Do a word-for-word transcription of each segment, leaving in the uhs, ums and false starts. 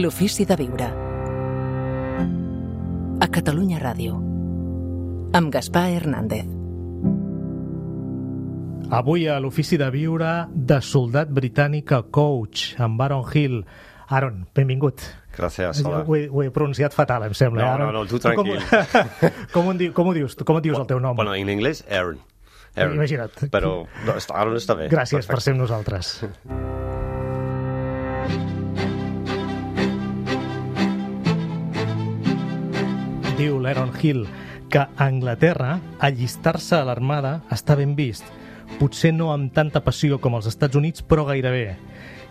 L'ofici de viure. A Catalunya Ràdio. Amb Gaspar Hernández. Avui a l'ofici de viure de soldat britànic a coach, amb Aaron Hill. Aaron, benvingut. Gràcies, hola. Ho he, ho he pronunciat fatal, em sembla. No, Aaron. no, no, tu tranquil. Com, com, ho, com ho dius? Com et dius el teu nom? Bueno, en anglès, Aaron. Aaron. Imagina't. Però no, Aaron està bé. Gràcies Perfecte. per ser amb nosaltres. Diu l'Aaron Hill que a Anglaterra allistar-se a l'armada està ben vist. Potser no amb tanta passió com als Estats Units, però gairebé.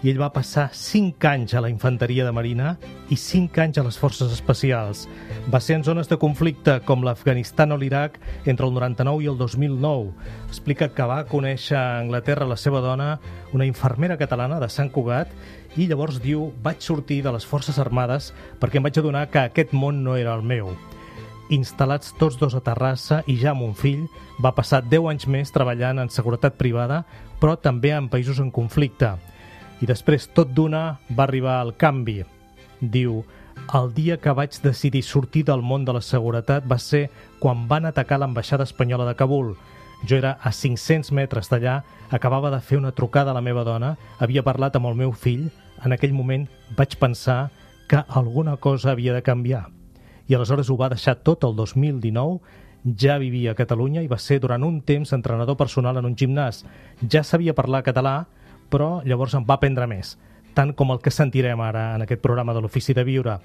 I ell va passar cinc anys a la infanteria de marina i cinc anys a les forces especials. Va ser en zones de conflicte com l'Afganistan o l'Iraq entre el noranta-nou i el dos mil nou. Explica que va conèixer a Anglaterra la seva dona, una infermera catalana de Sant Cugat, i llavors diu, vaig sortir de les forces armades perquè em vaig adonar que aquest món no era el meu. Instal·lats tots dos a Terrassa i ja amb un fill, va passar deu anys més treballant en seguretat privada, però també en països en conflicte. I després, tot d'una, va arribar el canvi. Diu, el dia que vaig decidir sortir del món de la seguretat va ser quan van atacar l'ambaixada espanyola de Kabul. Jo era a cinc-cents metres d'allà, acabava de fer una trucada a la meva dona, havia parlat amb el meu fill. En aquell moment vaig pensar que alguna cosa havia de canviar. I aleshores ho va deixar tot el dos mil dinou, ja vivia a Catalunya i va ser durant un temps entrenador personal en un gimnàs. Ja sabia parlar català, però llavors en va aprendre més, tant com el que sentirem ara en aquest programa de l'Ofici de Viure.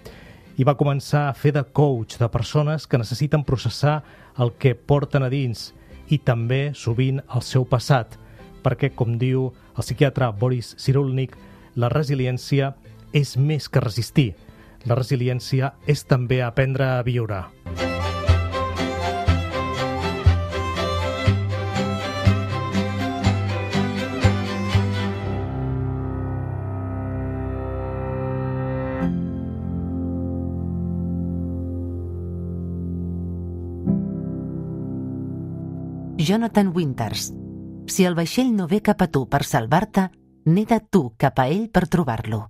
I va començar a fer de coach de persones que necessiten processar el que porten a dins i també, sovint, el seu passat, perquè, com diu el psiquiatre Boris Cyrulnik, la resiliència és més que resistir. La resiliència és també aprendre a viure. Jonathan Winters. Si el vaixell no ve cap a tu per salvar-te, neda tu cap a ell per trobar-lo.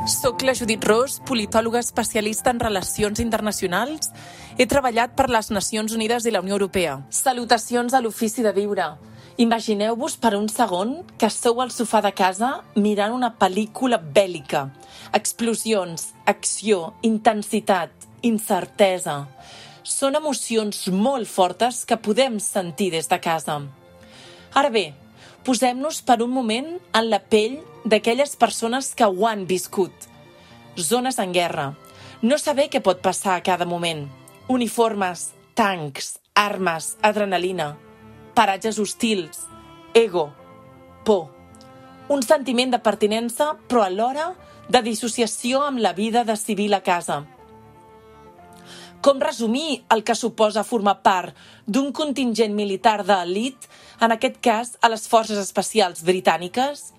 Soc la Judit Ros, politòloga especialista en relacions internacionals. He treballat per les Nacions Unides i la Unió Europea. Salutacions a l'Ofici de Viure. Imagineu-vos per un segon que sou al sofà de casa mirant una pel·lícula bèl·lica. Explosions, acció, intensitat, incertesa. Són emocions molt fortes que podem sentir des de casa. Ara bé, posem-nos per un moment en la pell d'aquelles persones que ho han viscut. Zones en guerra. No saber què pot passar a cada moment. Uniformes, tancs, armes, adrenalina. Paratges hostils, ego, por. Un sentiment de pertinença, però alhora de dissociació amb la vida de civil a casa. Com resumir el que suposa formar part d'un contingent militar d'elit, en aquest cas a les forces especials britàniques?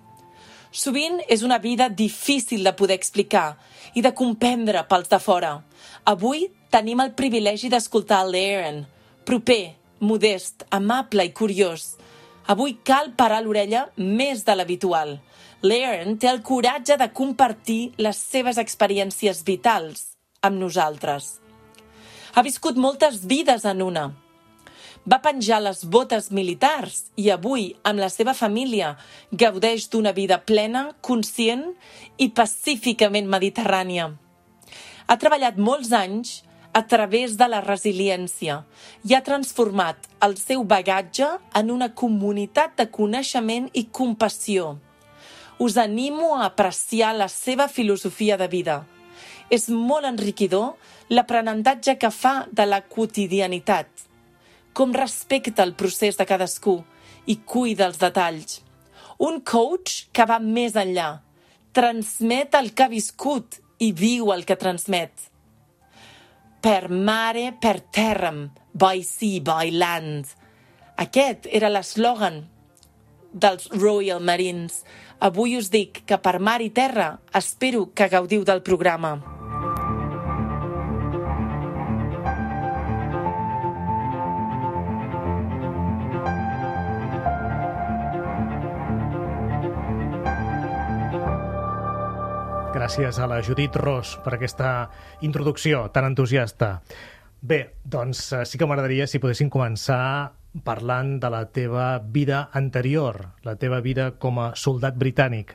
Sovint és una vida difícil de poder explicar i de comprendre pels de fora. Avui tenim el privilegi d'escoltar l'Aaron, proper, modest, amable i curiós. Avui cal parar l'orella més de l'habitual. L'Aaron té el coratge de compartir les seves experiències vitals amb nosaltres. Ha viscut moltes vides en una. Va penjar les botes militars i avui, amb la seva família, gaudeix d'una vida plena, conscient i pacíficament mediterrània. Ha treballat molts anys a través de la resiliència i ha transformat el seu bagatge en una comunitat de coneixement i compassió. Us animo a apreciar la seva filosofia de vida. És molt enriquidor l'aprenentatge que fa de la quotidianitat, com respecta el procés de cadascú i cuida els detalls. Un coach que va més enllà, transmet el que ha viscut i viu el que transmet. Per mare, per terram, by sea, by land. Aquest era l'eslògan dels Royal Marines. Avui us dic que per mar i terra espero que gaudiu del programa. gràcies a la Judit Ros per aquesta introducció tan entusiasta. Bé, doncs sí que m'agradaria si poguessin començar parlant de la teva vida anterior, la teva vida com a soldat britànic.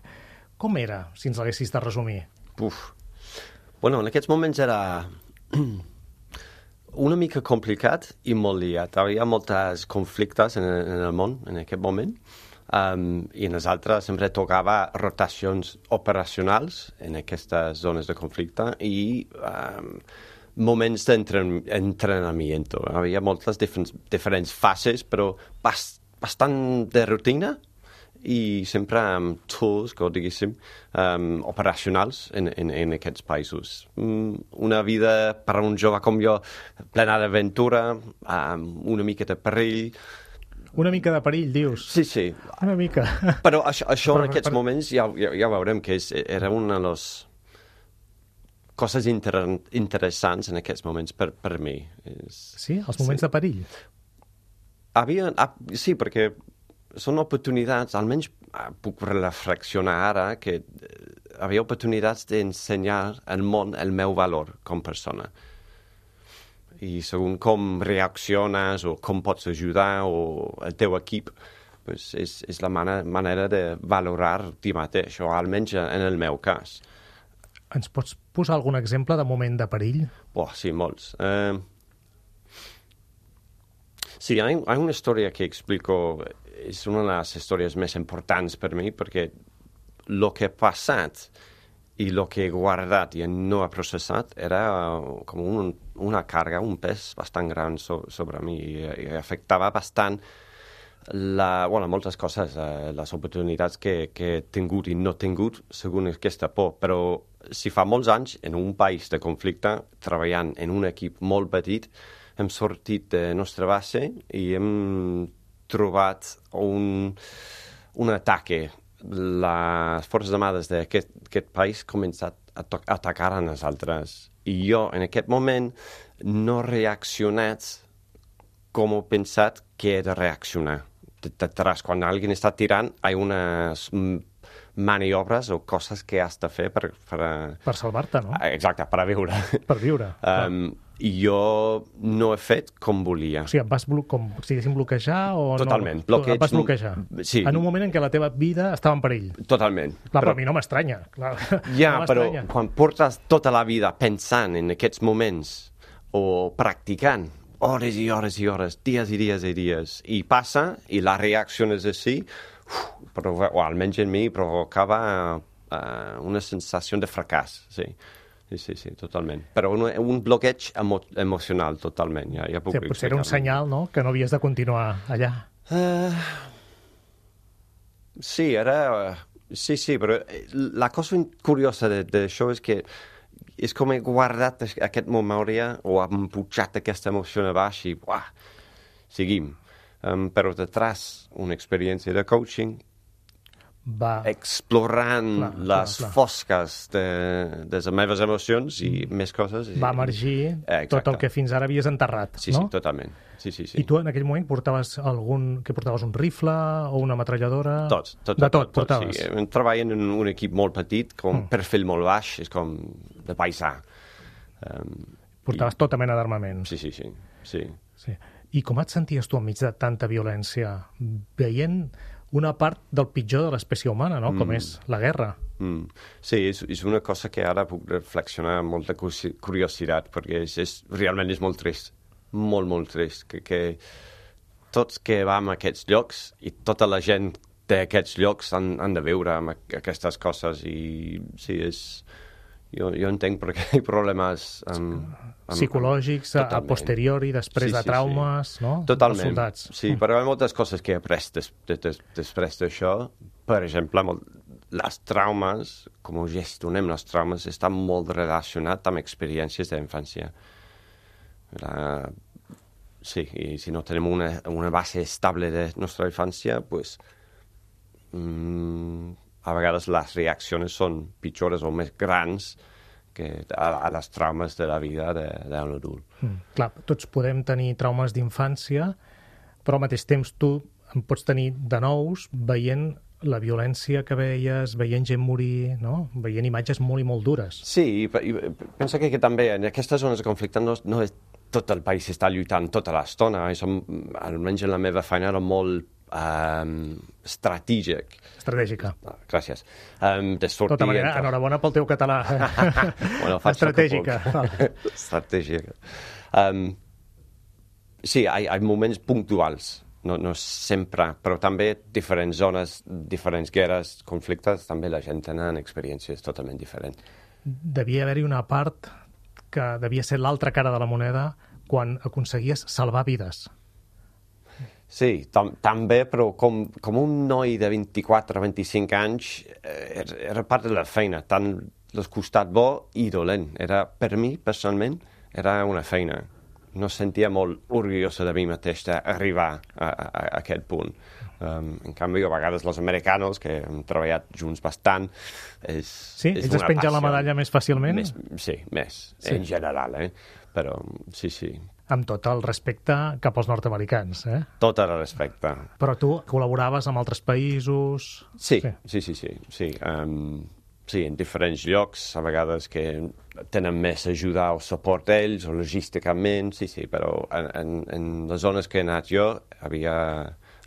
Com era, si ens l'haguessis de resumir? Uf. Bueno, en aquests moments era una mica complicat i molt liat. Hi havia molts conflictes en, en el món en aquest moment. Um, i en les altres sempre tocava rotacions operacionals en aquestes zones de conflicte i um, moments d'entrenament. Hi havia moltes diferents, diferents fases, però bast, bastant de rutina i sempre amb tools, que ho diguéssim, um, operacionals en, en, en aquests països. Um, una vida per a un jove com jo plena d'aventura, um, una mica de perill. Una mica de perill, dius? Sí, sí. Una mica. Però això, això però, en aquests però... moments ja, ja, ja veurem que és, era una de les coses inter interessants en aquests moments per, per mi. És, sí? Els moments sí. de perill? Havia, sí, perquè són oportunitats, almenys puc reflexionar ara, que havia oportunitats d'ensenyar al món el meu valor com a persona. I segons com reacciones o com pots ajudar o el teu equip, pues és, és la manera, manera de valorar ti mateix, o almenys en el meu cas. Ens pots posar algun exemple de moment de perill? Oh, sí, molts. Uh, sí, hi ha, hi ha una història que explico, és una de les històries més importants per mi, perquè el que ha passat i el que he guardat i no he processat era com un, una càrrega, un pes bastant gran so, sobre mi i, i afectava bastant la, bueno, moltes coses, eh, les oportunitats que, que he tingut i no he tingut segons aquesta por, però si fa molts anys en un país de conflicte, treballant en un equip molt petit, hem sortit de nostra base i hem trobat un, un ataque. Les forces armades d'aquest aquest país han començat a atacar a nosaltres. I jo, en aquest moment, no he reaccionat com he pensat que he de reaccionar. Detrás, quan algú està tirant, hi ha unes maniobres o coses que has de fer per... Per, per salvar-te, no? Exacte, per a viure. Per viure. Um, I jo no he fet com volia. O sigui, em vas blo com si diguéssim bloquejar o Totalment. no? Bloqueig, em vas bloquejar. Sí. En un moment en què la teva vida estava en perill. Totalment. Clar, però, però a mi no m'estranya. Ja, no però quan portes tota la vida pensant en aquests moments o practicant hores i hores i hores, dies i dies i dies, i passa, i la reacció és així, uf, o almenys en mi provocava uh, una sensació de fracàs, sí. Sí, sí, sí, totalment. Però un, un bloqueig emo emocional, totalment. Ja, ja puc sí, potser era un senyal, no?, que no havies de continuar allà. Uh, sí, era... Uh, sí, sí, però la cosa curiosa d'això és que és com he guardat aquest memòria o hem pujat aquesta emoció a baix i, uah, seguim. Um, però detrás una experiència de coaching va explorant clar, les clar, clar. fosques de, de les meves emocions i mm. més coses. I... Va emergir eh, tot el que fins ara havies enterrat, sí, no? Sí, totalment. Sí, sí, sí. I tu en aquell moment portaves algun... que portaves un rifle o una metralladora? Tot, tot, de tot, tot, tot portaves? Sí. Treballant en un equip molt petit, com mm. perfil molt baix, és com de paisà. Um, portaves i... tota mena d'armament. Sí, sí, sí, sí. sí. I com et senties tu enmig de tanta violència? Veient una part del pitjor de l'espècie humana, no? Mm. Com és la guerra. Mm. Sí, és, és una cosa que ara puc reflexionar amb molta curiositat, perquè és, és, realment és molt trist, molt, molt trist, que, que tots que vam a aquests llocs i tota la gent d'aquests llocs han, han de viure amb aquestes coses i sí, és... Jo, jo entenc perquè hi ha problemes amb, amb, psicològics amb, a posteriori, després sí, de traumes, sí, sí. No? Totalment. Soldats. Sí, mm. però hi ha moltes coses que he après des, des, després d'això. Per exemple, molt, les traumes, com gestionem les traumes, estan molt relacionats amb experiències d'infància. Sí, i si no tenim una, una base estable de nostra infància, pues... Mm, a vegades les reaccions són pitjors o més grans que a, a les traumes de la vida d'un adult. Mm, clar, tots podem tenir traumes d'infància, però al mateix temps tu en pots tenir de nous veient la violència que veies, veient gent morir, no? Veient imatges molt i molt dures. Sí, i penso que, que també en aquestes zones de conflicte no, no és tot el país està lluitant tota l'estona, almenys en la meva feina era molt um, estratègic. Estratègica. Ah, gràcies. Um, de sortir... De tota manera, entre... enhorabona pel teu català. bueno, estratègica. Estratègica. Um, sí, hi ha, hi ha moments puntuals, no, no sempre, però també diferents zones, diferents guerres, conflictes, també la gent tenen experiències totalment diferents. Devia haver-hi una part que devia ser l'altra cara de la moneda quan aconseguies salvar vides. Sí, tam també, però com, com un noi de vint-i-quatre a vint-i-cinc anys eh, era part de la feina, tant el costat bo i dolent. Era, per mi, personalment, era una feina. No sentia molt orgullosa de mi mateix d'arribar a, a, a aquest punt. Um, en canvi, a vegades els americanos, que hem treballat junts bastant, és, sí? és ells es pengen passió. La medalla més fàcilment? Més, sí, més, sí. En general, eh? Però sí, sí. Amb tot el respecte cap als nord-americans, eh? Tot el respecte. Però tu col·laboraves amb altres països... Sí, sí, sí, sí. sí. Um, sí, en diferents llocs, a vegades que tenen més ajuda o suport ells, o logísticament, sí, sí, però en, en, en les zones que he anat jo, havia...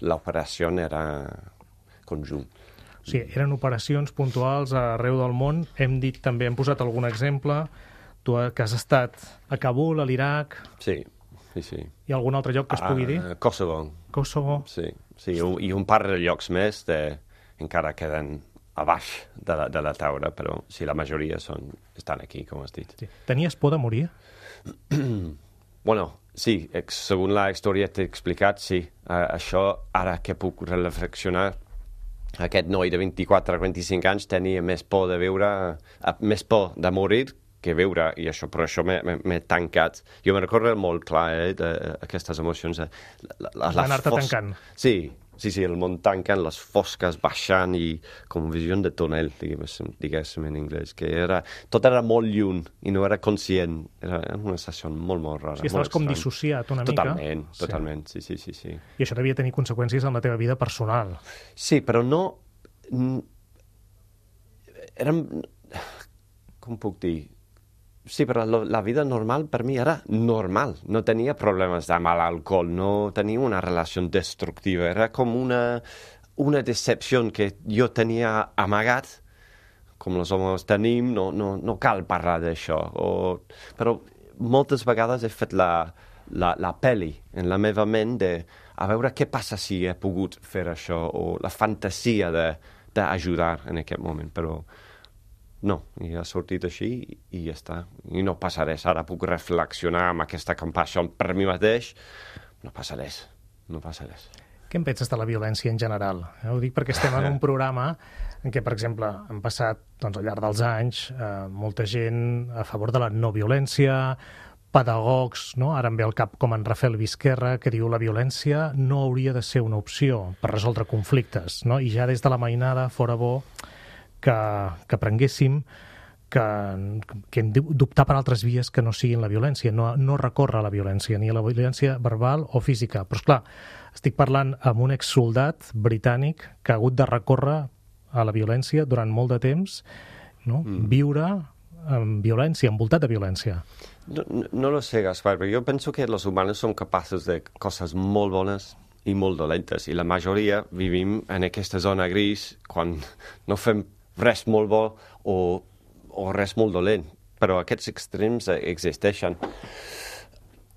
l'operació era conjunt. O sigui, eren operacions puntuals arreu del món. Hem dit també, hem posat algun exemple, tu que has estat a Kabul, a l'Iraq... Sí, sí, sí. Hi ha algun altre lloc que es pugui dir? Uh, Kosovo. Kosovo. Sí, sí, i un par de llocs més de, encara queden a baix de la, de la taula, però sí, la majoria són, estan aquí, com has dit. Sí. Tenies por de morir? Bueno, sí, segons la història t'he explicat, sí. Uh, això, ara que puc reflexionar, aquest noi de vint-i-quatre a vint-i-cinc anys tenia més por de viure, uh, més por de morir que viure, i això, però això m'he tancat. Jo me'n recordo molt clar, eh, d'aquestes emocions. Anar-te fos... tancant. Sí, sí, sí, el món tancant, les fosques baixant i com visió de túnel, diguéssim, diguéssim en anglès, que era, tot era molt lluny i no era conscient. Era una sensació molt, molt rara. Sí, estaves com dissociat una mica. Totalment, totalment, sí, sí, sí, sí. I això devia tenir conseqüències en la teva vida personal. Sí, però no... Érem... Com puc dir? Sí, però la vida normal per mi era normal. No tenia problemes de mal alcohol, no tenia una relació destructiva. Era com una, una decepció que jo tenia amagat, com els homes tenim, no, no, no cal parlar d'això. Però moltes vegades he fet la, la, la pel·li en la meva ment de a veure què passa si he pogut fer això, o la fantasia d'ajudar en aquest moment, però... No, i ha sortit així i ja està. I no passa res. Ara puc reflexionar amb aquesta compassió per mi mateix. No passa res. No passa res. Què en penses de la violència en general? Eh, ho dic perquè estem en un programa en què, per exemple, han passat doncs, al llarg dels anys eh, molta gent a favor de la no violència, pedagogs, no? Ara em ve al cap com en Rafael Vizquerra, que diu la violència no hauria de ser una opció per resoldre conflictes, no? I ja des de la mainada fora bo que, que prenguéssim que, que hem d'optar per altres vies que no siguin la violència, no, no recórrer a la violència, ni a la violència verbal o física. Però, esclar, estic parlant amb un exsoldat britànic que ha hagut de recórrer a la violència durant molt de temps, no? Mm. Viure amb violència, envoltat de violència. No, no, no lo sé, Gaspar, però jo penso que els humans som capaços de coses molt bones i molt dolentes, i la majoria vivim en aquesta zona gris quan no fem res molt bo o, o res molt dolent, però aquests extrems existeixen.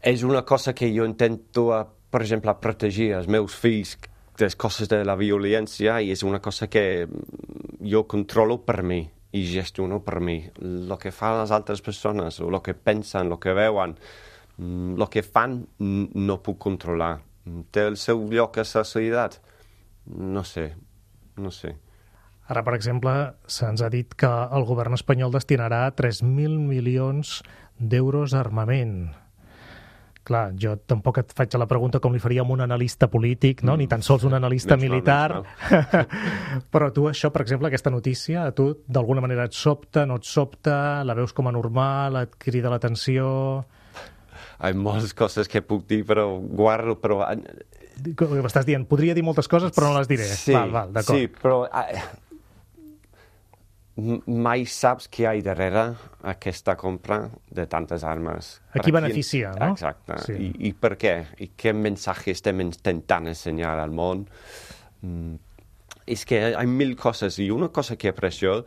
És una cosa que jo intento, per exemple, protegir els meus fills de les coses de la violència, i és una cosa que jo controlo per mi i gestiono per mi. El que fan les altres persones, o el que pensen, el que veuen, el que fan no puc controlar. Té el seu lloc a la societat? No sé, no sé. Ara, per exemple, se'ns ha dit que el govern espanyol destinarà tres mil milions d'euros a armament. Clar, jo tampoc et faig la pregunta com li faríem un analista polític, no? Mm. Ni tan sols un analista menys militar. Mal, però tu això, per exemple, aquesta notícia, a tu d'alguna manera et sobta, no et sobta, la veus com a normal, et crida l'atenció... hi ha moltes coses que puc dir, però guardo, però... M'estàs dient, podria dir moltes coses, però no les diré. Sí, val, val, d'acord. sí, però uh, mai saps què hi ha darrere aquesta compra de tantes armes. A qui beneficia, no? Exacte. Sí. I, I per què? I què missatge estem intentant ensenyar al món? Mm, és que hi ha mil coses, i una cosa que he après jo,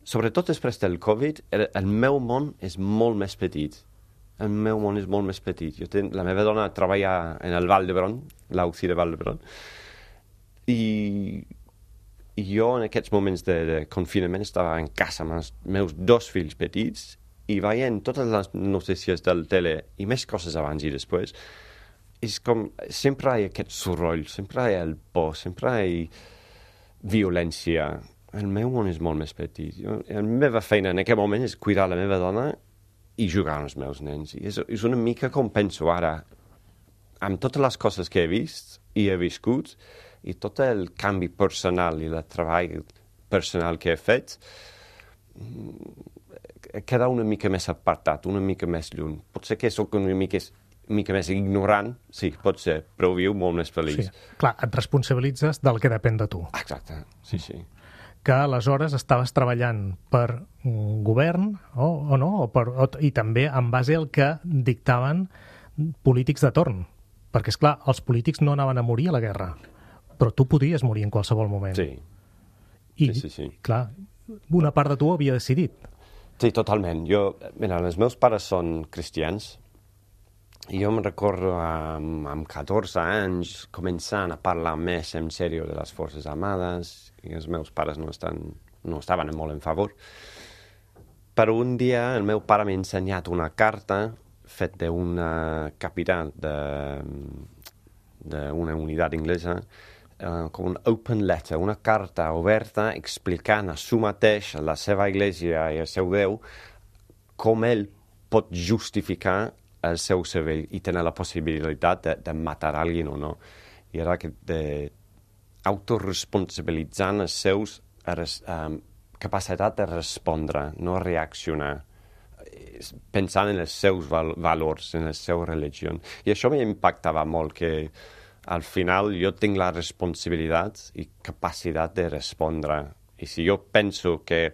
sobretot després del Covid, el, el meu món és molt més petit. El meu món és molt més petit. Jo ten, la meva dona treballa en el Val d'Hebron, l'U C I de Val d'Hebron, i, i jo en aquests moments de, de confinament estava en casa amb els meus dos fills petits i veient totes les notícies del tele i més coses abans i després. És com, sempre hi ha aquest soroll, sempre hi ha el por, sempre hi ha violència. El meu món és molt més petit. Jo, la meva feina en aquest moment és cuidar la meva dona i jugar amb els meus nens. I és, és una mica com penso ara, amb totes les coses que he vist i he viscut, i tot el canvi personal i el treball personal que he fet, queda una mica més apartat, una mica més lluny. Potser que sóc una mica, una mica més ignorant, sí, pot ser, però viu molt més feliç. Sí. Clar, et responsabilitzes del que depèn de tu. Exacte, sí, sí. Que aleshores estaves treballant per un govern o, o no, o per, o, i també en base al que dictaven polítics de torn. Perquè, és clar, els polítics no anaven a morir a la guerra, però tu podries morir en qualsevol moment. Sí, I, sí, sí, sí. clar, una part de tu havia decidit. Sí, totalment. Jo, mira, els meus pares són cristians i jo me'n recordo amb, amb catorze anys començant a parlar més en sèrio de les Forces Armades i els meus pares no, estan, no estaven molt en favor. Però un dia el meu pare m'ha ensenyat una carta fet d'una capità d'una unitat inglesa, eh, com un open letter, una carta oberta explicant a su mateix, a la seva església i al seu Déu, com ell pot justificar el seu cervell i tenir la possibilitat de, de matar algú o no. I era que de autoresponsabilitzant els seus um, capacitat de respondre, no reaccionar, pensant en els seus val valors, en la seva religió. I això m'impactava molt, que al final jo tinc la responsabilitat i capacitat de respondre. I si jo penso que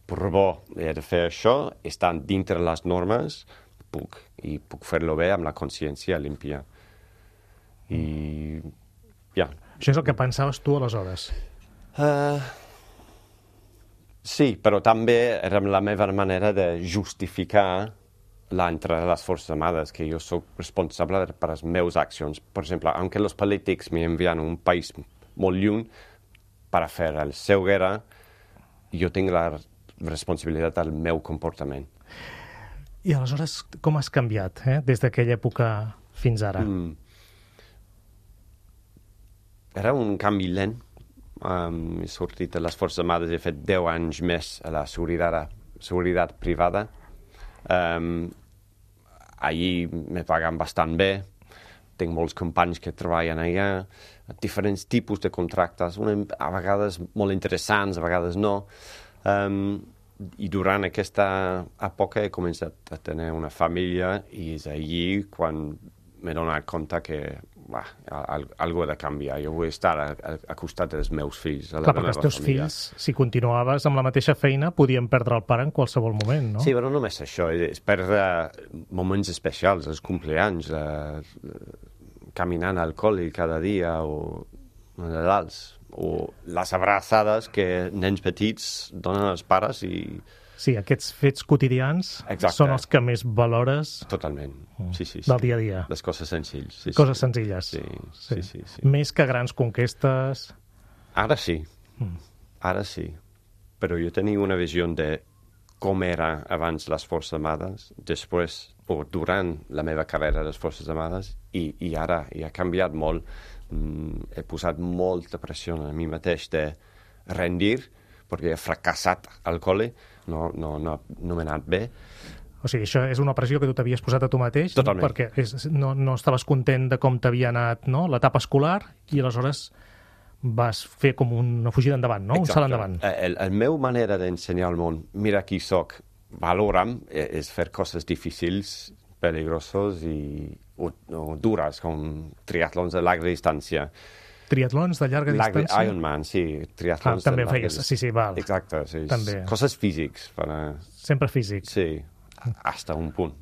per bo he de fer això, estan dintre les normes, puc, i puc fer-lo bé amb la consciència límpia. I, ja. Això és el que pensaves tu aleshores? Uh, sí, però també era la meva manera de justificar l'entrada de les Forces Armades, que jo soc responsable per les meves accions. Per exemple, aunque els polítics m'envien a un país molt lluny per fer la seva guerra, jo tinc la responsabilitat del meu comportament. I aleshores, com has canviat, eh? Des d'aquella època fins ara? Mm. Era un canvi lent. Um, he sortit de les Forces Armades, he fet deu anys més a la seguretat, seguretat privada. Um, allí me paguen bastant bé. Tinc molts companys que treballen allà, diferents tipus de contractes, una, a vegades molt interessants, a vegades no. Um, I durant aquesta època he començat a tenir una família i és allí quan m'he donat compte que bah, algo ha de canviar. Jo vull estar a, a, a costat dels meus fills. A la Clar, perquè els teus família. fills, si continuaves amb la mateixa feina, podien perdre el pare en qualsevol moment, no? Sí, però no només això, és perdre moments especials, els compleanys, eh, caminant al col·le cada dia o Nadals, o les abraçades que nens petits donen als pares i... Sí, aquests fets quotidians Exacte. Són els que més valores Totalment, sí, sí, sí. del dia a dia. Les coses senzilles. Sí, Coses sí. senzilles. Sí, sí, sí, sí, sí. Més que grans conquestes... Ara sí, Mm. ara sí. Però jo tenia una visió de com era abans les Forces Armades, després o durant la meva carrera a les Forces Armades, i, i ara i ha canviat molt. Mm, he posat molta pressió a mi mateix de rendir, perquè he fracassat al col·le, no, no, no, no m'he anat bé. O sigui, això és una pressió que tu t'havies posat a tu mateix, Totalment. No? Perquè és, no, no estaves content de com t'havia anat, no?, l'etapa escolar, i aleshores vas fer com una fugida endavant, no? Exacte. Un salt endavant. El, el meu manera d'ensenyar al món, mira qui soc, valora'm, és fer coses difícils, peligrosos i o, o dures, com triatlons de llarga distància. Triatlons de llarga Llarga, distància? Ironman, sí. Triatlons Ah, també de llarga feies, sí, sí, val. Exacte, sí. També. Coses físics. Para... Sempre físic. Sí, hasta un punt.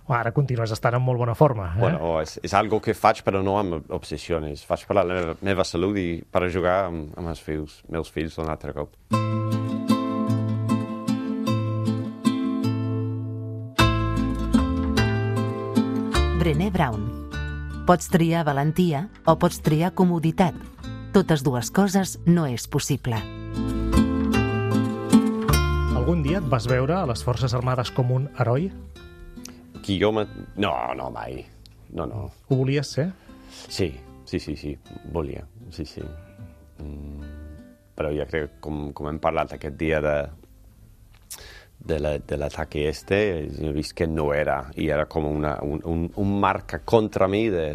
Ara continues estant en molt bona forma. Eh? Bueno, és, és algo que faig però no amb obsessions. Faig per la meva, meva salut i per a jugar amb, amb els fills, meus fills un altre cop. Brené Brown. Pots triar valentia o pots triar comoditat. Totes dues coses no és possible. Algun dia et vas veure a les Forces Armades com un heroi? Qui jo... Me... No, no, mai. No, no. Ho volies ser? Sí, sí, sí, sí. Volia, sí, sí. Mm, però jo crec que, com, com hem parlat aquest dia de, de, la, de l'ataque este, he vist que no era, i era com una, un, un, un marca contra mi de...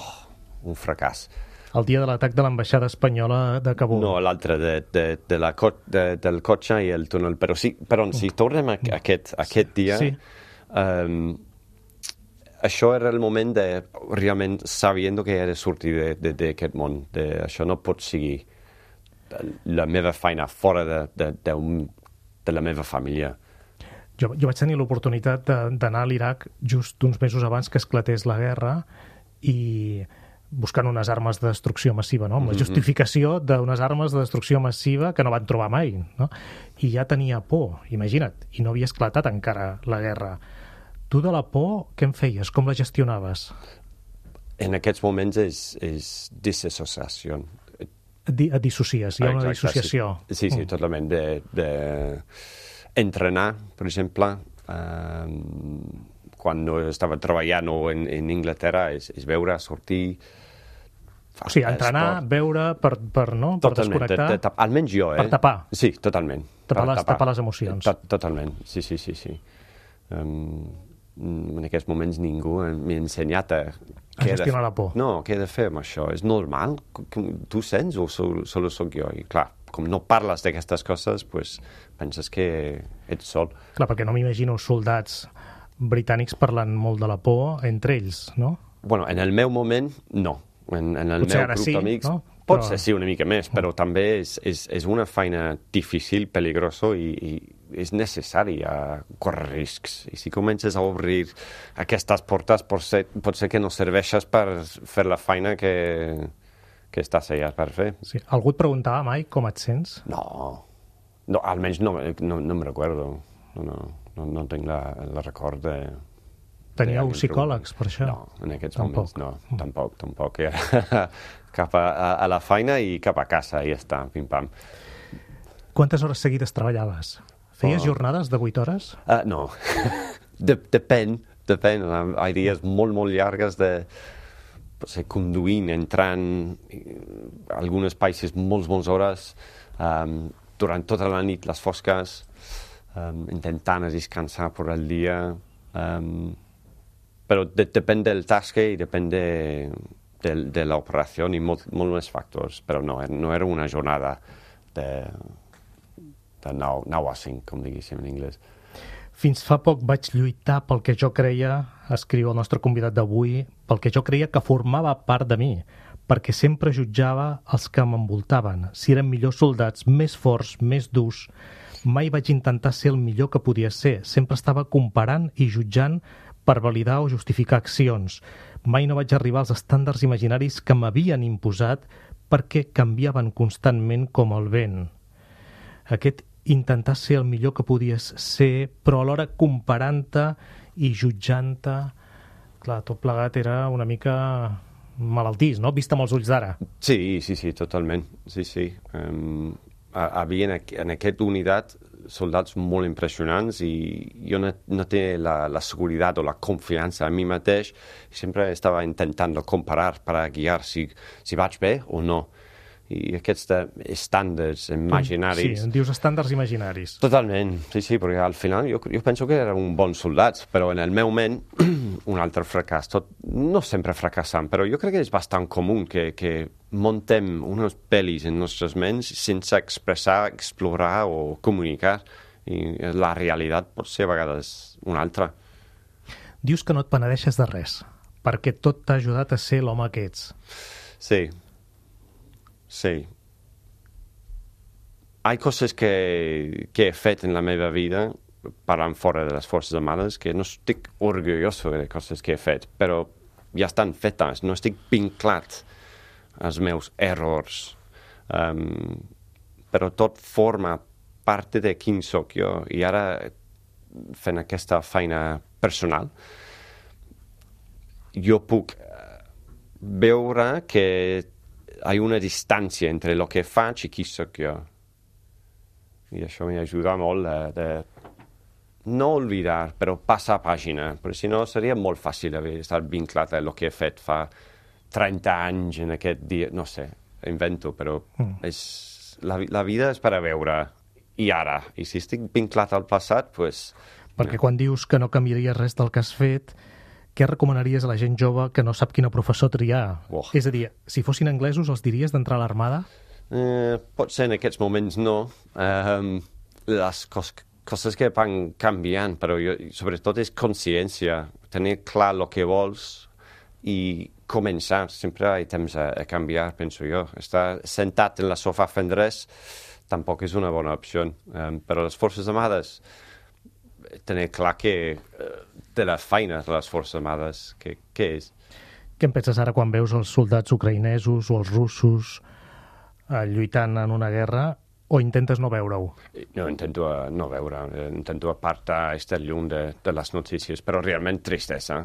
Oh, un fracàs. El dia de l'atac de l'ambaixada espanyola de Kabul. No, l'altre, de, de, de la co de, del cotxe i el túnel. Però, sí, però si tornem a aquest, aquest dia... Sí. Um, això era el moment de realment sabiendo que he de sortir d'aquest món. De, això no pot seguir la meva feina fora de, de, de, un, de la meva família. Jo, jo vaig tenir l'oportunitat d'anar a l'Iraq just uns mesos abans que esclatés la guerra i buscant unes armes de destrucció massiva, no? Amb la justificació d'unes armes de destrucció massiva que no van trobar mai, no? I ja tenia por, imagina't, i no havia esclatat encara la guerra. Tu de la por, què en feies? Com la gestionaves? En aquests moments és, és disassociació. Di et dissocies, hi ha una Exacte, dissociació. Sí, sí, sí Mm. totalment. De, de entrenar, per exemple, eh, quan no estava treballant o en, en Anglaterra, és, és veure, sortir... O sigui, entrenar, esport. veure per, per, no? per Totalment, de, desconnectar, de, de, almenys jo, eh? per tapar. Sí, totalment. Tapar Per les- tapar les emocions. To, totalment, sí, sí, sí. sí. Um, en aquests moments ningú m'ha ensenyat a... A gestionar la por. No, què he de fer amb això? És normal? Tu sents o sol, solo soc jo? I clar, com no parles d'aquestes coses, pues, penses que ets sol. Clar, perquè no m'imagino soldats britànics parlant molt de la por entre ells, no? Bueno, en el meu moment, no. En, en el Potser meu ara grup sí, d'amics, no? pot Però- ser sí una mica més, però també és, és, és una feina difícil, peligrosa i, i és necessari a córrer riscs. I si comences a obrir aquestes portes, pot ser, pot ser que no serveixes per fer la feina que, que estàs allà per fer. Sí. Algú et preguntava mai com et sents? No, no almenys no, no, no em recordo. No, no, no, no tinc la, la record de... Teníeu de psicòlegs per això? No, en aquests Tampoc. moments no, tampoc, tampoc. Era cap a, a, a la feina i cap a casa, i ja està, pim-pam. Quantes hores seguides treballaves? Feies Oh. jornades de vuit hores? Uh, no, de, depèn, depèn. Hi ha dies molt, molt llargues de potser conduint, entrant a algunes països molts, molts hores, um, durant tota la nit, les fosques, um, intentant descansar per el dia. Um, però de, depèn del tasca i depèn de, de, de l'operació i molt, molt més factors. Però no, no era una jornada de, de nou a cinc, com diguéssim en anglès. Fins fa poc vaig lluitar pel que jo creia, escriu el nostre convidat d'avui, pel que jo creia que formava part de mi, perquè sempre jutjava els que m'envoltaven, si eren millors soldats, més forts, més durs. Mai vaig intentar ser el millor que podia ser, sempre estava comparant i jutjant per validar o justificar accions. Mai no vaig arribar als estàndards imaginaris que m'havien imposat perquè canviaven constantment com el vent. Aquest intentar ser el millor que podies ser, però alhora comparant-te i jutjant-te, clar, tot plegat era una mica malaltís, no? Vist amb els ulls d'ara. Sí, sí, sí, totalment. Sí, sí. Um, havia en, aqu en aquesta unitat soldats molt impressionants i jo no, no tenia la, la seguretat o la confiança en mi mateix. Sempre estava intentant comparar per a guiar si, si vaig bé o no. I aquests estàndards imaginaris... Sí, en dius estàndards imaginaris. Totalment, sí, sí, perquè al final jo, jo penso que era un bon soldat, però en el meu ment un altre fracàs, tot, no sempre fracassant, però jo crec que és bastant comú que, que montem unes pel·lis en nostres ments sense expressar, explorar o comunicar, i la realitat pot ser a vegades una altra. Dius que no et penedeixes de res, perquè tot t'ha ajudat a ser l'home que ets. Sí. Sí. Hay coses que, que he fet en la meva vida, parlant fora de les Forces Armades, que no estic orgulloso de coses que he fet, però ja estan fetes, no estic vinclat als meus errors. Um, però tot forma part de quin soc jo, i ara fent aquesta feina personal jo puc veure que hi ha una distància entre el que faig i qui soc jo, i això m'ajuda molt de, de no oblidar, però passar pàgina, perquè si no seria molt fàcil haver estat vinclat a el que he fet fa trenta anys en aquest dia, no sé, invento, però mm. és, la, la vida és per a veure i ara, i si estic vinclat al passat, doncs... Perquè quan dius que no canviaries res del que has fet, què recomanaries a la gent jove que no sap quina professor triar? Oh. És a dir, si fossin anglesos, els diries d'entrar a l'armada? Eh, pot ser en aquests moments no. Um, les cos coses que van canviant, però jo, sobretot és consciència, tenir clar el que vols i començar. Sempre hi ha temps a, a canviar, penso jo. Estar sentat en la sofà fent res tampoc és una bona opció. Um, però les Forces Armades, tenir clar que uh, de les feines de les Forces Armades, què és? Què en penses ara quan veus els soldats ucraïnesos o els russos uh, lluitant en una guerra, o intentes no veure-ho? No, intento uh, no veure, intento apartar, estar lluny de, de les notícies, però realment tristesa.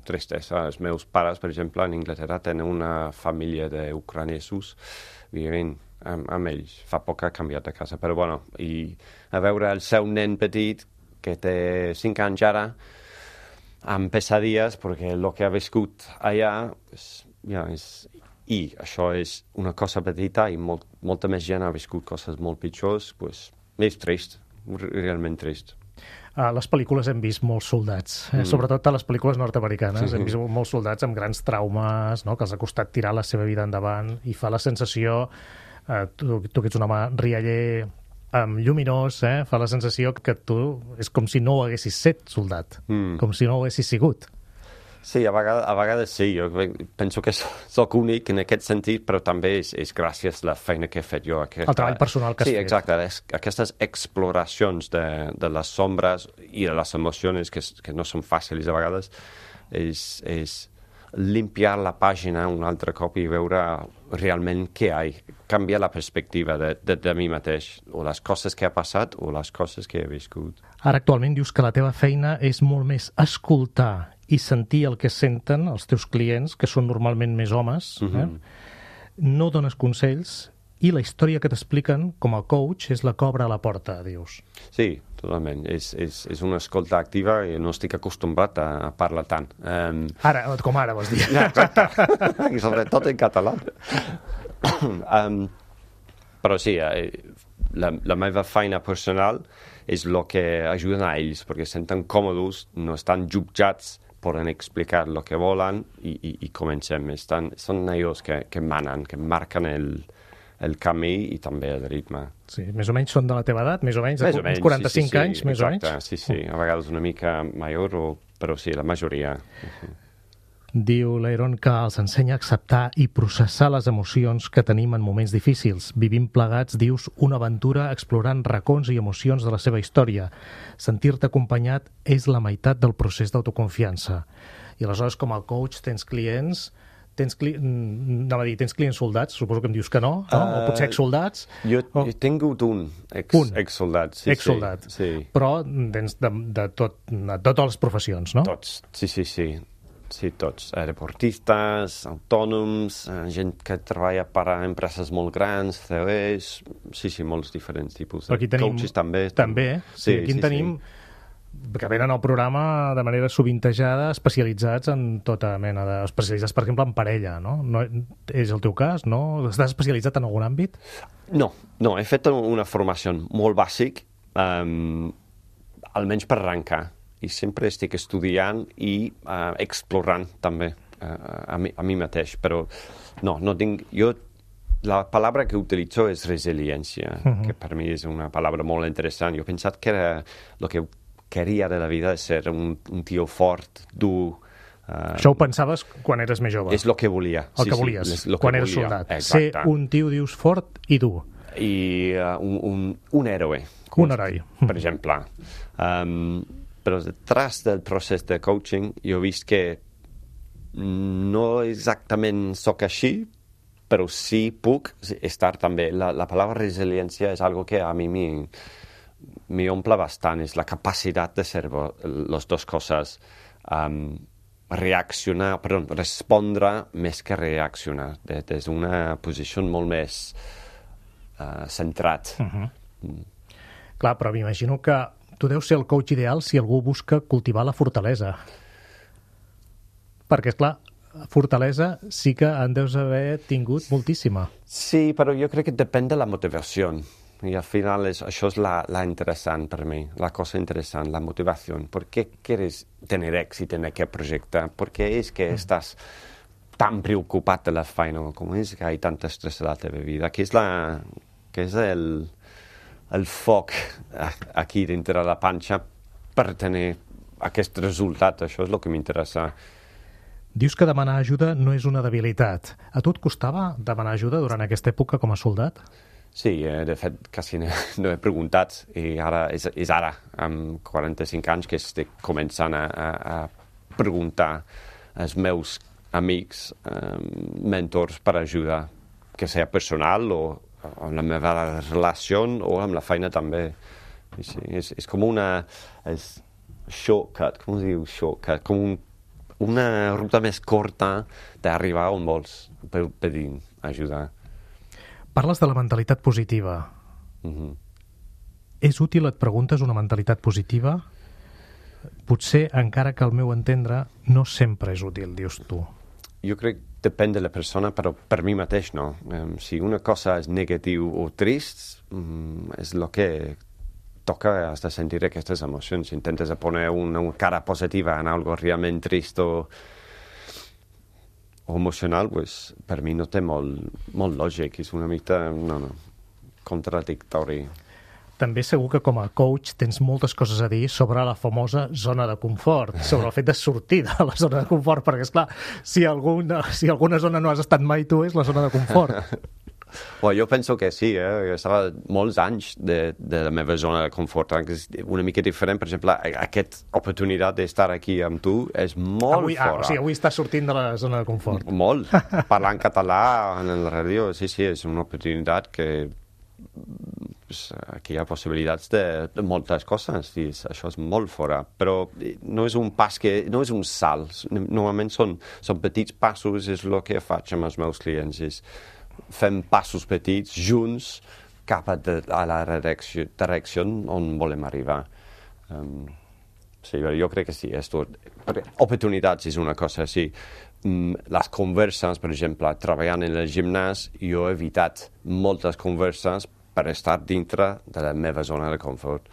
Tristesa. Els meus pares, per exemple, en Anglaterra tenen una família d'ucraïnesos vivint amb, amb ells. Fa poc ha canviat de casa, però bueno, i a veure el seu nen petit, que té cinc anys ara, amb pesadilles, perquè el que ha viscut allà, és, ja, és, i això és una cosa petita, i molt, molta més gent ha viscut coses molt pitjors, pues, és trist, realment trist. A les pel·lícules hem vist molts soldats, eh? mm. sobretot a les pel·lícules nord-americanes. Sí, sí. Hem vist molts soldats amb grans traumes, no? Que els ha costat tirar la seva vida endavant, i fa la sensació, eh, tu, tu que ets un home rialler, um, lluminós, eh? Fa la sensació que tu és com si no ho haguessis set soldat, mm. com si no ho haguessis sigut. Sí, a vegades, a vegades sí. Jo penso que soc únic en aquest sentit, però també és, és gràcies a la feina que he fet jo. Aquesta... El treball personal que has sí, fet. Sí, exacte. Es, aquestes exploracions de, de les sombres i de les emocions que, que no són fàcils a vegades, és, és limpiar la pàgina un altre cop i veure realment què hi ha. Canviar la perspectiva de, de, de mi mateix, o les coses que ha passat o les coses que he viscut. Ara actualment dius que la teva feina és molt més escoltar i sentir el que senten els teus clients, que són normalment més homes, eh? Mm-hmm. No dones consells, i la història que t'expliquen com a coach és la que obre a la porta, dius. Sí, totalment. És, és, és una escolta activa i no estic acostumbrat a, a parlar tant. Um... Ara, com ara, vols dir. Exacte. I sobretot en català. um, però sí, la, la meva feina personal és el que ajuda a ells, perquè senten còmodes, no estan jutjats, poden explicar el que volen i, i, i comencem. Estan, són ells que, que manen, que marquen el, el camí i també el ritme. Sí, més o menys són de la teva edat, més o menys, més uns o menys quaranta-cinc sí, sí, anys, sí, més exacte, o menys? Sí, sí, a vegades una mica major, o, però sí, la majoria. Uh-huh. Diu l'Aaron que els ensenya a acceptar i processar les emocions que tenim en moments difícils. Vivim plegats, dius, una aventura explorant racons i emocions de la seva història. Sentir-te acompanyat és la meitat del procés d'autoconfiança. I aleshores, com a coach, tens clients... Tens, cli... no, dir, tens clients soldats? Suposo que em dius que no, no? Uh, o potser exsoldats? Jo o... he tingut un, ex, un. exsoldat. Sí, exsoldat. Sí, sí. Però tens de, de, tot, de totes les professions, no? Tots, sí, sí, sí. Sí, tots. Deportistes, autònoms, gent que treballa per a empreses molt grans, C E Os, sí, sí, molts diferents tipus. Aquí tenim... Coaches també. També, sí, sí aquí en sí, tenim... Sí. que venen al programa de manera sovintejada, especialitzats en tota mena de... especialitzats, per exemple, en parella, no? no és el teu cas, no? Estàs especialitzat en algun àmbit? No, no, he fet una formació molt bàsic, um, almenys per arrencar, i sempre estic estudiant i uh, explorant també uh, a, mi, a mi mateix, però no, no tinc... Jo, la paraula que utilitzo és resiliència, uh-huh. que per mi és una paraula molt interessant. Jo he pensat que era el que quería de la vida és ser un, un tio fort, dur. Uh, Això ho pensaves quan eres més jove? És el que volia. El sí, que volies, sí, lo quan que eres volia. soldat. Exacte. Ser un tio, dius, fort i dur. I uh, un, un, un héroe. Un heroi. Per exemple. Um, però detrás del procés de coaching jo he vist que no exactament sóc així, però sí puc estar també. La, la paraula resiliència és algo que a mi mi, mi omple bastant, és la capacitat de ser les dues coses. Um, reaccionar, perdó, respondre més que reaccionar, des de d'una posició molt més uh, centrat. Uh-huh. Mm. Clar, però m'imagino que tu deus ser el coach ideal si algú busca cultivar la fortalesa. Perquè, esclar, fortalesa sí que en deus haver tingut moltíssima. Sí, però jo crec que depèn de la motivació. I al final és, això és la, la interessant per mi, la cosa interessant, la motivació. ¿Por qué quieres tener éxito en aquest projecte? ¿Por qué es que estàs tan preocupat de la feina? Com és que hi ha tant estrès a la teva vida? Què és, la, què és el, el foc aquí dintre de la panxa per tenir aquest resultat? Això és el que m'interessa. Dius que demanar ajuda no és una debilitat. A tu et costava demanar ajuda durant aquesta època com a soldat? Sí, eh, de fet, quasi no, no he preguntat i ara és, és ara, amb quaranta-cinc anys, que estic començant a, a, a preguntar als meus amics, eh, mentors per ajuda, que sigui personal o amb la meva relació o amb la feina també. I sí, és, és com una és shortcut, com es diu shortcut? Com un, una ruta més curta d'arribar on vols pedint ajuda. Parles de la mentalitat positiva. Mm-hmm. És útil, et preguntes, una mentalitat positiva? Potser, encara que al meu entendre, no sempre és útil, dius tu. Jo crec que depèn de la persona, però per mi mateix no. Um, si una cosa és negatiu o trist, um, és el que toca, has de sentir aquestes emocions. Si intentes poner una, una cara positiva en algo realment trist o o emocional, pues, per mi no té molt, molt lògic, és una mica no, no, contradictori. També segur que com a coach tens moltes coses a dir sobre la famosa zona de confort, sobre el fet de sortir de la zona de confort, perquè, esclar, si alguna, si alguna zona no has estat mai tu, és la zona de confort. Well, jo penso que sí, eh? Estava molts anys de, de la meva zona de confort, eh? Que és una mica diferent. Per exemple, aquesta oportunitat d'estar aquí amb tu és molt avui, fora. Ah, o sigui, avui estàs sortint de la zona de confort. Molt. Parlar en català en la ràdio, sí, sí, és una oportunitat que pues, aquí hi ha possibilitats de, de moltes coses i això és molt fora, però no és un pas que, no és un salt. Normalment són, són petits passos, és el que faig amb els meus clients, és fem passos petits junts cap a, de, a la direcció, direcció on volem arribar. Um, sí, jo crec que sí. Esto, oportunitats és una cosa, sí. Um, les converses, per exemple, treballant en el gimnàs, jo he evitat moltes converses per estar dintre de la meva zona de confort.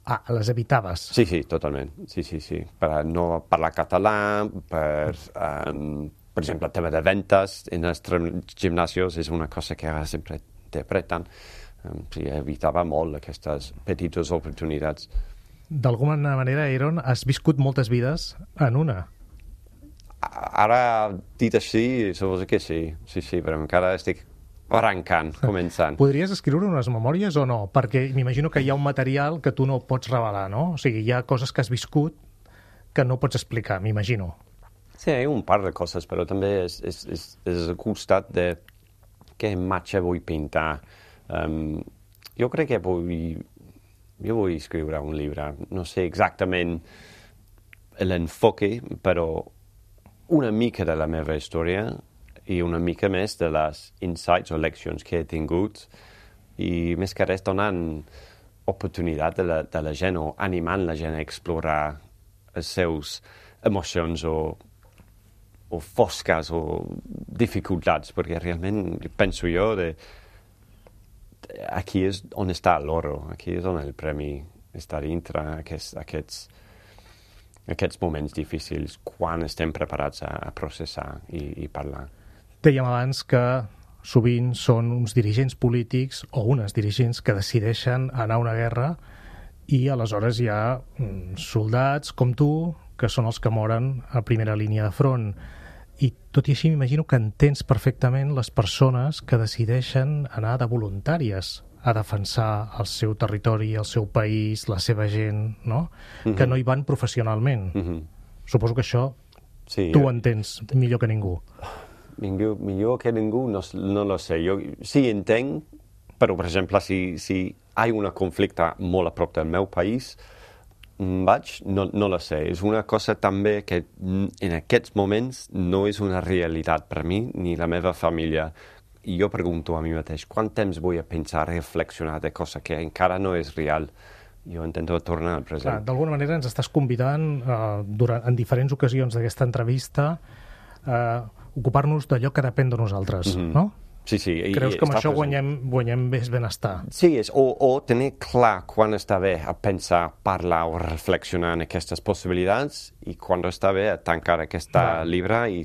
Ah, les evitaves? Sí, sí, totalment. Sí, sí, sí. Per no parlar català, per... Um, per exemple, el tema de ventes en els gimnasios és una cosa que ara sempre interpreten. Um, sí, evitava molt aquestes petites oportunitats. D'alguna manera, Aaron, has viscut moltes vides en una. Ara, dit així, suposo que sí. Sí, sí, però encara estic arrencant, començant. Podries escriure unes memòries o no? Perquè m'imagino que hi ha un material que tu no pots revelar, no? O sigui, hi ha coses que has viscut que no pots explicar, m'imagino. Sí, hi ha un par de coses, però també és, és, és, és el costat de què imatge vull pintar. Um, jo crec que vull, jo vull escriure un llibre. No sé exactament l'enfoque, però una mica de la meva història i una mica més de les insights o leccions que he tingut i més que res donant oportunitat de la, de la gent o animant la gent a explorar els seus emocions o o fosques o dificultats, perquè realment penso jo de, de aquí és on està l'oro, aquí és on el premi està dintre aquests, aquests, aquests moments difícils quan estem preparats a, a processar i, i parlar. Dèiem abans que sovint són uns dirigents polítics o unes dirigents que decideixen anar a una guerra i aleshores hi ha soldats com tu que són els que moren a primera línia de front. I tot i així m'imagino que entens perfectament les persones que decideixen anar de voluntàries a defensar el seu territori, el seu país, la seva gent, no? Uh-huh. Que no hi van professionalment. Uh-huh. Suposo que això sí, tu ho entens millor que ningú. Millor, millor que ningú, no, no lo sé. Jo sí entenc, però, per exemple, si, si hi ha un conflicte molt a prop del meu país, vaig, no, no lo sé. És una cosa també que en aquests moments no és una realitat per mi ni la meva família. I jo pregunto a mi mateix, quant temps vull a pensar, reflexionar de cosa que encara no és real? Jo intento tornar al present. D'alguna manera ens estàs convidant eh, durant, en diferents ocasions d'aquesta entrevista a eh, ocupar-nos d'allò que depèn de nosaltres, mm-hmm. no? Sí, sí. Creus que amb això guanyem, guanyem més benestar? Sí, és, o, o tenir clar quan està bé a pensar, parlar o reflexionar en aquestes possibilitats i quan està bé a tancar aquesta Va. llibre i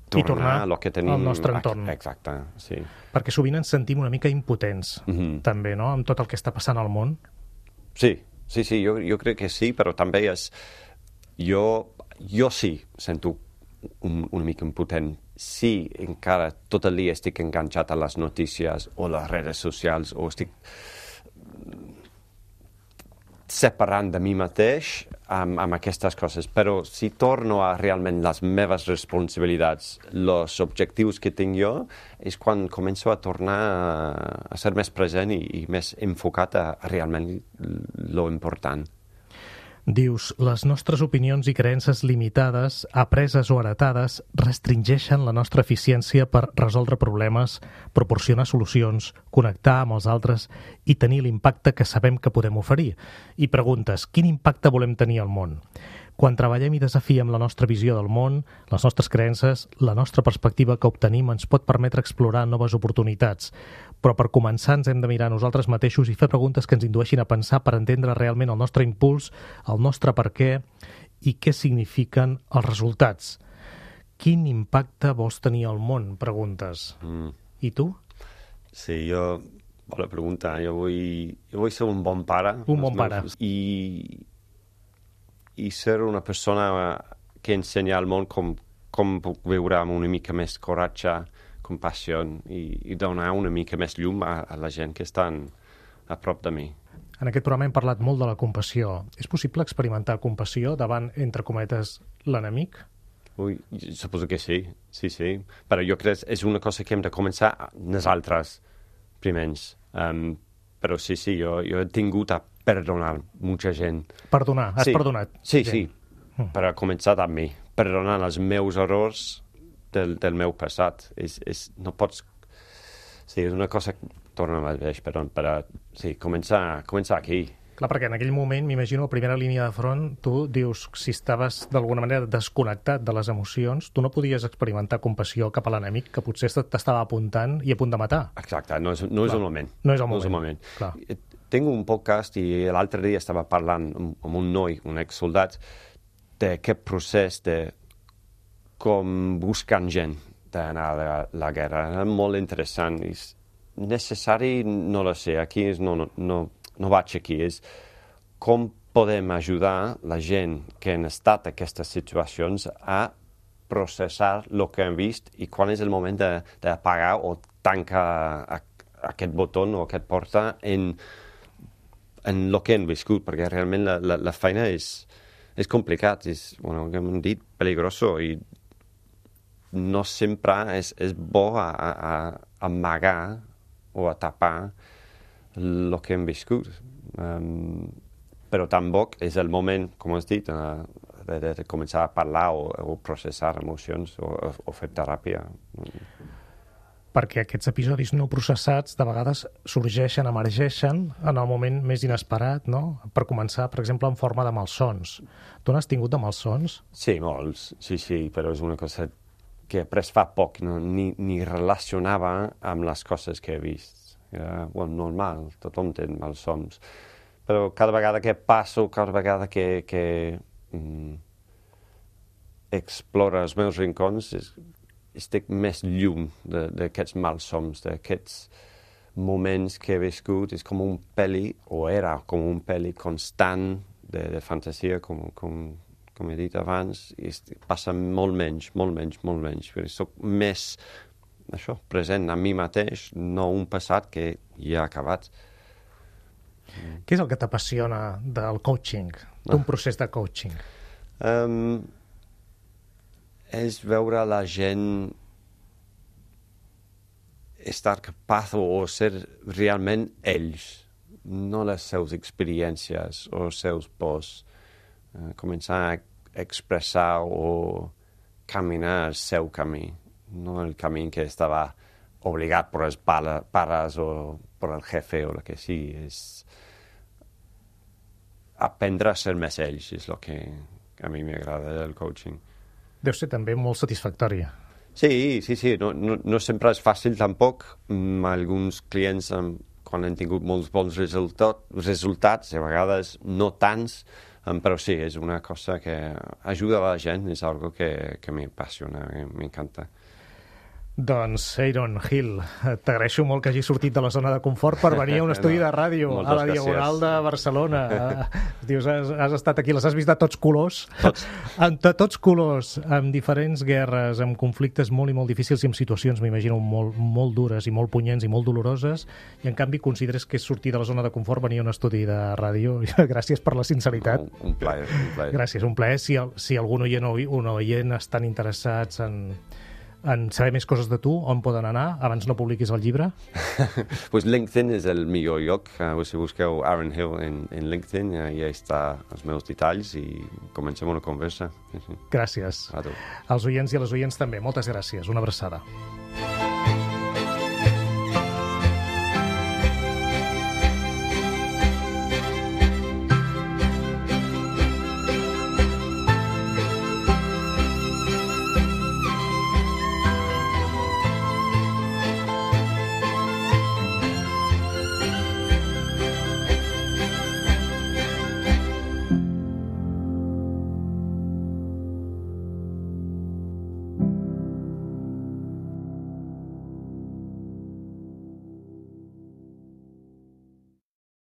tornar, I tornar a lo que tenim al nostre entorn. Exacte, sí. Perquè sovint ens sentim una mica impotents, mm-hmm. també, no?, amb tot el que està passant al món. Sí, sí, sí, jo, jo crec que sí, però també és... Jo, jo sí sento un, una mica impotent. Sí, encara tot el dia estic enganxat a les notícies o les redes socials o estic separant de mi mateix amb, amb aquestes coses, però si torno a realment les meves responsabilitats, els objectius que tinc jo, és quan començo a tornar a, a ser més present i, i més enfocat a, a realment lo important. Dius, les nostres opinions i creences limitades, apreses o heretades, restringeixen la nostra eficiència per resoldre problemes, proporcionar solucions, connectar amb els altres i tenir l'impacte que sabem que podem oferir. I preguntes, quin impacte volem tenir al món? Quan treballem i desafiem la nostra visió del món, les nostres creences, la nostra perspectiva que obtenim ens pot permetre explorar noves oportunitats. Però per començar ens hem de mirar a nosaltres mateixos i fer preguntes que ens indueixin a pensar per entendre realment el nostre impuls, el nostre per què i què signifiquen els resultats. Quin impacte vols tenir al món? Preguntes. Mm. I tu? Sí, jo... Bona pregunta. Jo vull, jo vull ser un bon pare. Un bon pare. I... i ser una persona que ensenya al món com, com puc viure amb una mica més coratge, compassió i, i donar una mica més llum a, a la gent que estan a prop de mi. En aquest programa hem parlat molt de la compassió. És possible experimentar compassió davant, entre cometes, l'enemic? Ui, suposo que sí, sí, sí. Però jo crec que és una cosa que hem de començar nosaltres primers. Um, però sí, sí, jo, jo he tingut a perdonar molta gent. Perdonar? Has sí. perdonat? Sí, gent. sí, mm. per a començar amb mi. Perdonar els meus errors del, del meu passat. És, és, no pots... Sí, és una cosa que torna al mateix, però per a, sí, començar, començar aquí. Clar, perquè en aquell moment, m'imagino, a primera línia de front, tu dius, si estaves d'alguna manera desconnectat de les emocions, tu no podies experimentar compassió cap a l'enemic que potser t'estava apuntant i a punt de matar. Exacte, no és, no és el moment. No és el moment. No és el moment. Clar. Tinc un podcast i l'altre dia estava parlant amb un noi, un exsoldat, d'aquest procés de com buscant gent d'anar a la, la guerra. Era molt interessant. És necessari, no lo sé, aquí és, no, no, no, no vaig aquí, és com podem ajudar la gent que han estat en aquestes situacions a processar el que hem vist i quan és el moment d'apagar o tancar aquest botó o aquest porta en en el que hem viscut, perquè realment la, la, la feina és, és complicat, és, bueno, com hem dit, peligroso i no sempre és, és bo a, a, a amagar o a tapar el que hem viscut. Um, però tampoc és el moment, com has dit, uh, de, de, de començar a parlar o, o processar emocions o, o fer teràpia. Perquè aquests episodis no processats de vegades sorgeixen, emergeixen en el moment més inesperat, no? Per començar, per exemple, en forma de malsons. Tu n'has tingut de malsons? Sí, molts, sí, sí, però és una cosa que he après fa poc, no? ni, ni relacionava amb les coses que he vist. Era, bueno, normal, tothom té malsons. Però cada vegada que passo, cada vegada que, que mm, exploro els meus rincons, és, estic més llum d'aquests malsons, d'aquests moments que he viscut és com un pel·li, o era com un pel·li constant de, de fantasia, com, com, com he dit abans, i passa molt menys, molt menys, molt menys. Perquè soc més, això, present a mi mateix, no un passat que ja ha acabat. Què és el que t'apassiona del coaching, d'un procés de coaching? Um, és veure la gent estar capaç o ser realment ells, no les seves experiències o els seus pors. Uh, començar a expressar o caminar el seu camí, no el camí que estava obligat per els pares o per el jefe o el que sigui. És aprendre a ser més ells, és el que a mi m'agrada del coaching. Deu ser també molt satisfactòria. Sí, sí, sí. No, no, no sempre és fàcil tampoc. Mm, alguns clients, um, quan han tingut molts bons resultat, resultats, a vegades no tants, um, però sí, és una cosa que ajuda a la gent, és algo que, que m'apassiona, que m'encanta. Doncs, Aaron Hill, t'agraeixo molt que hagis sortit de la zona de confort per venir a un estudi no, de ràdio a la Diagonal de Barcelona. Dius, has, has estat aquí, les has vist de tots colors, tots. de tots colors, amb diferents guerres, amb conflictes molt i molt difícils i amb situacions, m'imagino, molt, molt dures i molt punyents i molt doloroses, i en canvi consideres que és sortir de la zona de confort venir a un estudi de ràdio. Gràcies per la sinceritat. Un, un plaer, un plaer. Gràcies, un plaer. Si, el, si algun oient o un oient estan interessats en... en saber més coses de tu, on poden anar abans no publiquis el llibre? Pues LinkedIn és el millor lloc. Uh, si busqueu Aaron Hill en, en LinkedIn, uh, ja està els meus detalls i comencem una conversa. Gràcies. A tu. Als oients i a les oients també, moltes gràcies. Una abraçada.